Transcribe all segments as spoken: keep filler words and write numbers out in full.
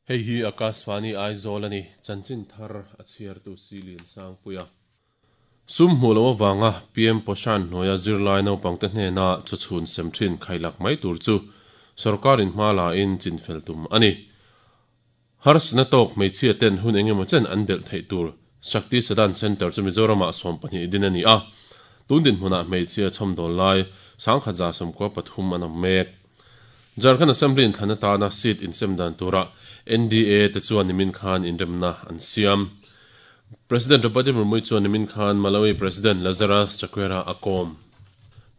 Hei hi Akashvani Aizawl ani chanchin thar a chhiar tu Silian Sangpuia. Sum hmu lo awanga P M Poshan hnuaia zirlai naupangte hnena chawchhun sem thin khailak mai tur chu sarkarin hma la in chinfel tum ani. Harsna tawk hmeichhia ten hun engemaw chen an belh theih tur Shakti Sadan Center chu Mizorama sawm pahnih din ani a. Tundin hmunah hmeichhia chhawm dawl lai sangkhat za sawmkua pathum an awm mek. Jharkhand Assembly in thlan atana seat insem dan tura N D A te chuan nimin khan inremna an siam. President Draupadi Murmu chuan nimin khan Malawi President Lazarus Chakwera a kawm.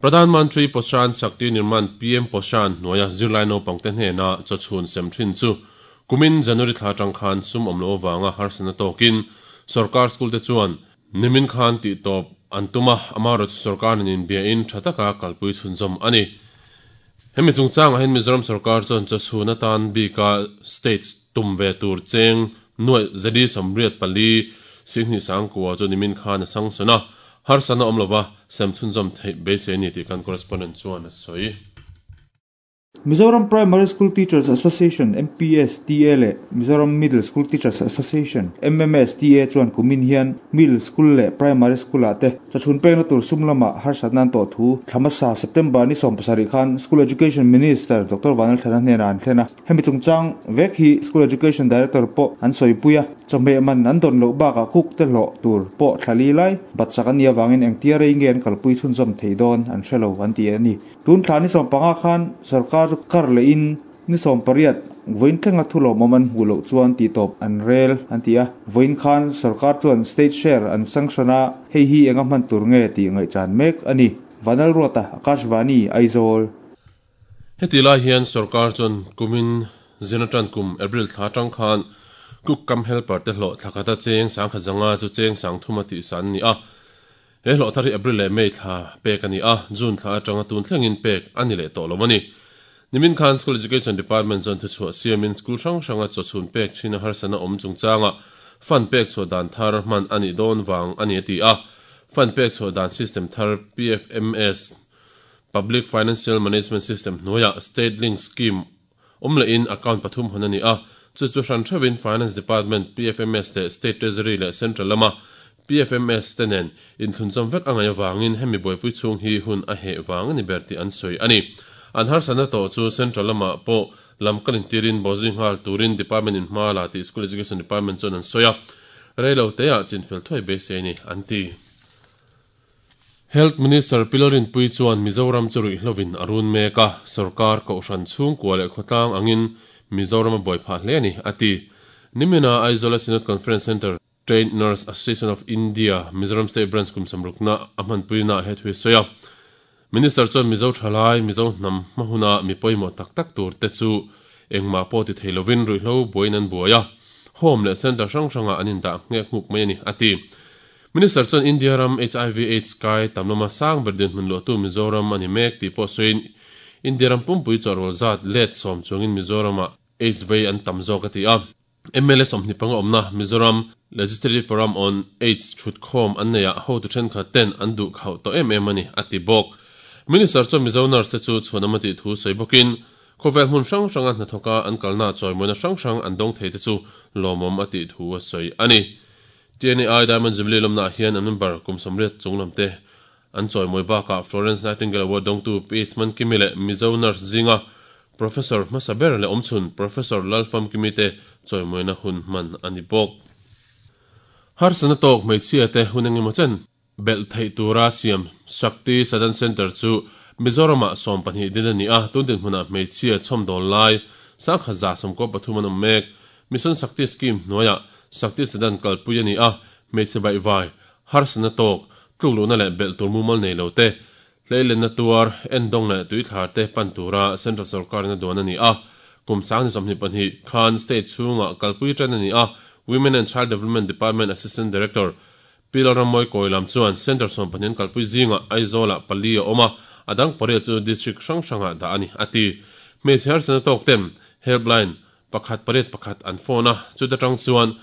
Pradhan Mantri Poshan Shakti Nirman P M Poshan hnuaia zirlai naupangte hnena chawchhun sem thin chu kumin January thla tang khan sum awm lo awanga harsana tawkin sarkar school te chuan nimin khan tih tawp an tuma amaro chu sarkar nin bia in thataka kalpui chhunzawm ani. Hemi chungchang ah hian Mizoram sarkar chuan chawchhun atan bika states tum ve tur cheng nuai zali sawmriat pali singhni sangkua chu nimin khan a sangsuna harsana awm lova sem chhunzawm theih beisei ani tih kan correspondent chuan a sawi. Mizoram Primary School Teachers Association M P S T A le Mizoram Middle School Teachers Association M M S T A chuan kumin hian Middle School le Primary School ah te chawchhun pekna tur sum lama harsatna to thu thlamasa September ni sawm pasarih khan School Education Minister Doctor Vanal Thana hnena an thlena hemi chungchang vek hi School Education Director pawh an sawipuia chawhmeh man an dawn loh bakah cook te hlawh tur pawh thlali lai batsak ani awangin engtia rei nge an kalpui chhunzawm thei dawn an hrelo an ti ani. Tun thla ni sawm panga khan sarkar chu kar le in ni sawm pariat voin thlenga thu lawmawm an hmu loh chuan tih tawp an rel an ti a. Voin khan sarkar chuan state share an sanctiona hei hi enga hman tur nge tih ngaihchan mek ani. Vanal Ruata, Akashvani, Aizawl. Heti lai hian sarkar chuan kumin zinatan kum April thla tang khan cook kam helper te hlawh thlakata cheng sangkhat zanga chu cheng sangthuma tih san ni a. He hlawh thar hi April leh May thla pek ani a, June thla atanga tun thlengin pek ani leh tawh lo ani. Nimin khan School Education Department chuan thuchhuah siamin school hrang hranga chawchhun pek thina harsana awm chungchanga fund pek chhuah dan thar hman ani dawn wang ani ati a. Fund pek chhuah dan system thar P F M S Public Financial Management System hnuaia State Link Scheme awm leh in account pathum hawn ani a. Chu chu hran theuhin Finance Department P F M S leh State Treasury leh Central lama P F M S tenen in thunchawm vek angai awangin hemi buaipui chhung hi hun a heh wang ani ber tih an sawi ani. An harsana to chu Central lama pawh lamkalin tirin bawzui nghal turin Department in hma la tih School Education Department chuan an sawi a. Reilo te ah chinfel thuai beisei ani an ti. Health Minister Pilorin Pui chuan Mizoram chu ruihhlovin a run mek a, sarkar kohhran chhungkua leh khawtlang angin Mizoram a buai phah hle ani ati. Nimina Aizawl Synod Conference Center Trained Nurse Association of India Mizoram State Branch kum samrukna a hmanpuina he thui sawi a. Minister chuan Mizo thalai Mizo hnam hmahuna mi pawimawh tak tak tur te chu engmah pawh ti thei lovin ruihhlo buain an buai a. Home leh center hrang hranga an indah nghek nghuk mai ani ati. Minister chuan India ram H I V AIDS kai tamlama sang ber din hmun luah tu Mizoram ani mek tih pawh sawiin India ram pumpui chawrwal zat let sawm chungin Mizorama AIDS vei an tam zawk ati a. M L A sawmhnih panga awmna Mizoram Legislative Forum on AIDS thut khawm an nei ah ho tu thenkhat ten an duh khauh tawh em em ani ati bawk. Minister chuan Mizo nurse te chu chhuanam ati thu sawi bawkin khawvel hmun hrang hranga hnathawka an kalna chawimawina hrang hrang an dawng thei te chu lawmawm ati thu a sawi ani. T N A I Diamond Jubilee lawmna hian an member kum sawmriat chunglam te an chawimawi bakah Florence Nightingale Award dawngtu P S Mankimi leh Mizo nurse zinga Professor Hmasaber leh awmchhun Professor Lalfam Kimi te chawimawina hun hman ani bawk. Harsana tawk hmeichhia te hun engemaw chen belh theih tura siam Shakti Sadan Center chu Mizorama sawm pahnih din ani a, tundin hmunah hmeichhia chhawm dawl lai sangkhat za sawmkua pathum an awm mek. Mission Shakti Scheme hnuaia Shakti Sadan kalpui ani a, hmeichhe baihvai harsana tawk tlukluhna leh belh tur mumal nei lo te hleilenna tuar endawng leh tuithlar te pan tura Central Sarkarina duan ani a. Kum sang ni sawmhnih pahnih khan state chhunga kalpui tan ani a. Women and Child Development Department Assistant Director Pilalramoy Koilam chuan Center sawm pahnih an kalpui zinga Aizawla pali a awm a, adang pariat chu district hrang hranga dah ani ati. Hmeichhe harsana tawk tem helpline pakhat pariat pakhat an phone a, chuta tang chuan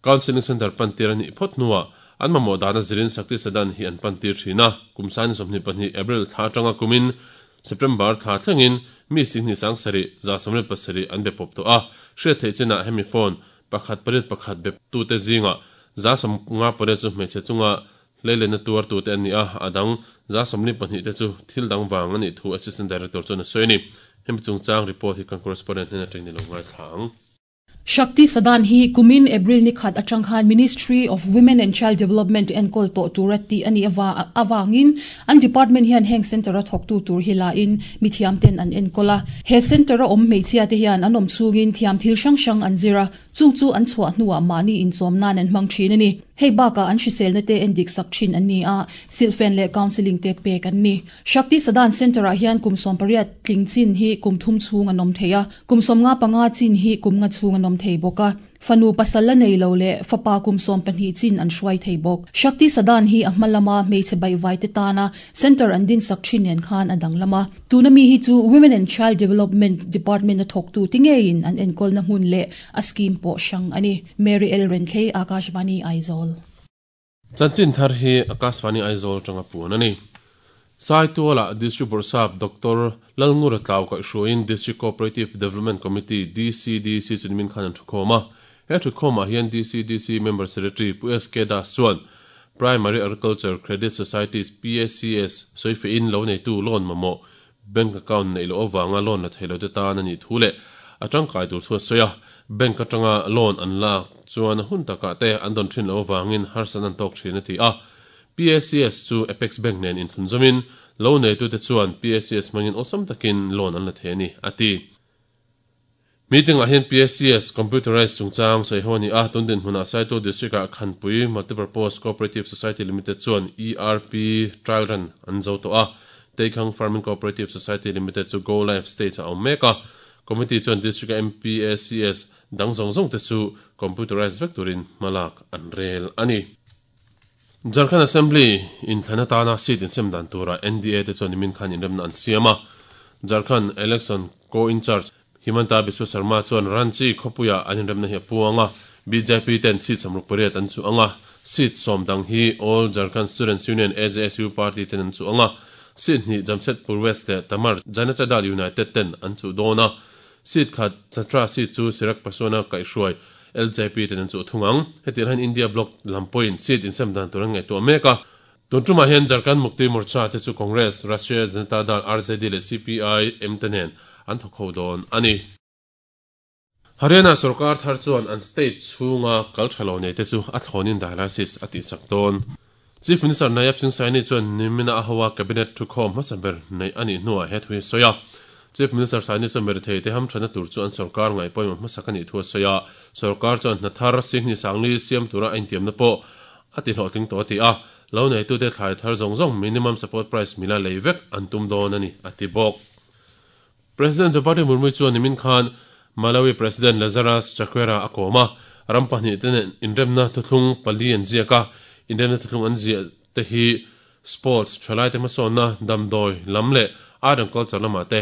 Counseling Center pantir ani phawt hnuah an mamawh dana zirin Shakti Sadan hi an pantir thina. Kum sang ni sawmhnih pahnih April thla atanga kumin September thla thlengin Mi sing ni sang sari za somle pasari an be pop to a hriat thei chena hemi phone pakhat pariat pakhat be tu te zinga za som nga pare chu hmeichhe chunga leile na tuar tu te ani a adang za somli pahnih te chu thil dang wang ani thu assistant director chu na soini hemi chungchang report hi kan correspondent hnen atang ni lo ngai thlang. Shakti Sadan hi kumin April ni khat atang khan Ministry of Women and Child Development enkol to turati ani awa awangin an department hian heng center a thok tu tur hila in mithiam ten an enkola he center a om meichia te hian anom chungin thiam thil sang sang an zira chung chu an chhuah hnuah mani in chawm nan an hmang thin ani hei baka an hrisel na te en dik sak thin an ni a silfen le counseling te pek an ni. Shakti Sadan center a hian kum som pariat tling chin hi kum thum chung anom theia kum som nga panga chin hi kum nga chung anom thei boka fanu pasala nei lo le fapa kum som pahnih chin an hruai thei bawk. Shakti Sadan hi a hmalama hmeichhe bai vai te tana center an din sak thin nen khan adang lama tuna mi hi chu Women and Child Development Department a thok tu tingein an enkol na hmun le a scheme pawh hrang ani. Mary L Renthei, Akashvani Aizawl. Chanchin thar hi Akashvani Aizawl tanga puan ani. Sai tuala District Borsap Doctor Lalngura Tlau ka hruain District Cooperative Development Committee D C D C chunmin khan an thukhoma he thukhoma hian D C D C member secretary Pu S K Das chuan Primary Agriculture Credit Societies P A C S soife in lo nei tu loan mamo bank account nei lo awanga loan la theilo te tan ani thule atang kai tur thu soya bank atanga loan an la chuan hun taka te an don thin lo awangin harsan an tok thin ati a P A C S chu Apex Bank nen in thunzomin lo nei tu te chuan P A C S mangin awesome takin loan an la theni ati. Meeting a hian P A C S computerized chungchang sei honi a tundin hmuna Saito District a Khanpui Multipurpose Cooperative Society Limited chuan E R P trial run an zo to a Teikhang Farming Cooperative Society Limited chu go live stage a awm mek a committee chuan district M P A C S dang zawng zawng te chu computerized vek turin hmalak an rel ani. Jharkhand Assembly in thlanatana seat in semdan tura N D A te chuan nimin khan inremna an siama Jharkhand Election Co in charge Himanta Biswa Sarma chuan Ranchi khopuya an inremna hi puanga B J P ten seat samruk pariat an chu anga seat som dang hi All Jharkhand Students Union A J S U party ten an chu anga seat ni Jamshedpur West le Tamar Janata Dal United ten an chu dona seat khat Chatra seat chu Sirak Paswana kaihruai L J P ten an chu thungang hetir han India Bloc lampoin seat in semdan turang ngai to meka tuntruma hian Jharkhand Mukti Morcha te chu Congress Rashtriya Janata Dal R J D le C P I M tenen an thokho don ani. Haryana sarkar thar chuan an state chunga kalthalo nei te chu a thlonin dialysis ati sak don. Chief Minister Nayab Singh Saini chuan nimina a hawa cabinet thukhom hmasaber nei ani hnuah he thui soya. Chief Minister Saini chuan merithei te ham thana tur chu an sarkar ngai pawimawh hmasak ani thu soya. Sarkar chuan hnathar singh ni sangli siam tura a intiamna pawh ati hlawhtling tawh ati a lo nei tu te thlai thar zawng zawng minimum support price mila lei vek an tum dawn ani ati bawk. President Draupadi Murmu chuan nimin khan Malawi President Lazarus Chakwera a kawma ram pahnih te nen inremna thuthlung pali an ziak a inremna thuthlung an ziah te hi sports thalai te hmasawnna damdawi lam leh art and culture lamah te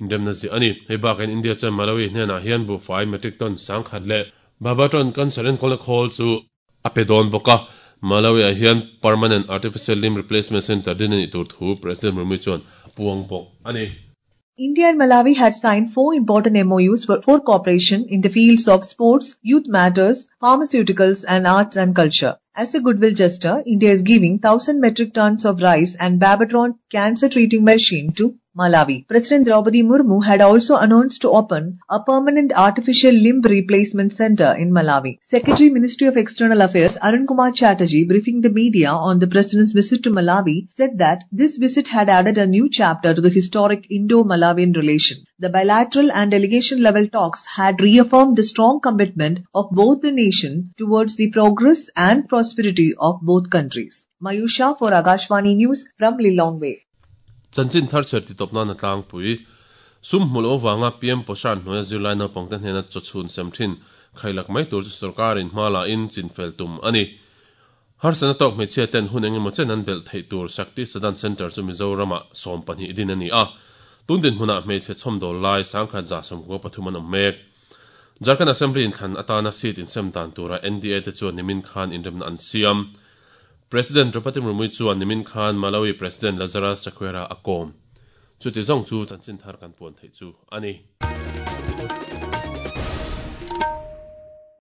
inremna ziah ani. Hei bakin India chuan Malawi hnenah hian buhfai metric ton sangkhat leh Babaton cancer enkawlna khawl chu a pe dawn bawk a Malawi ah hian permanent artificial limb replacement center din ani tur thu President Murmu chuan a puang bawk ani. India and Malawi had signed four important M O Us for, for cooperation in the fields of sports, youth matters, pharmaceuticals and arts and culture. As a goodwill gesture, India is giving one thousand metric tons of rice and Babatron cancer treating machine to Malawi. President Draupadi Murmu had also announced to open a permanent artificial limb replacement center in Malawi. Secretary Ministry of External Affairs Arun Kumar Chatterjee, briefing the media on the President's visit to Malawi, said that this visit had added a new chapter to the historic Indo-Malawian relation. The bilateral and delegation level talks had reaffirmed the strong commitment of both the nation towards the progress and prosperity of both countries. Mayusha for Akashvani News from Lilongwe. Chanchin thar cher ti topna na tlang pui sum hmulo wanga P M Poshan hnuaia zirlai naupang te hnena chawchhun sem thin khailak mai tur chu sarkarin hmala in chinfel tum ani. Harsana tawk hmeichhia ten hun engemaw chen an belh theih tur Shakti Sadan Center chu Mizorama sawm pahnih din ani a tundin hmunah hmeichhe chhawmdawl lai sangkhat za sawmkua pathum an awm mek. Jharkhand Assembly in thlan atana seat in sem dan tura N D A te chuan nimin khan inremna an siam. President Draupadi Murmu chuan nimin khan Malawi President Lazarus Chakwera a kawm. Chuti zawng chu chanchin thar kan puan theih chu a ni.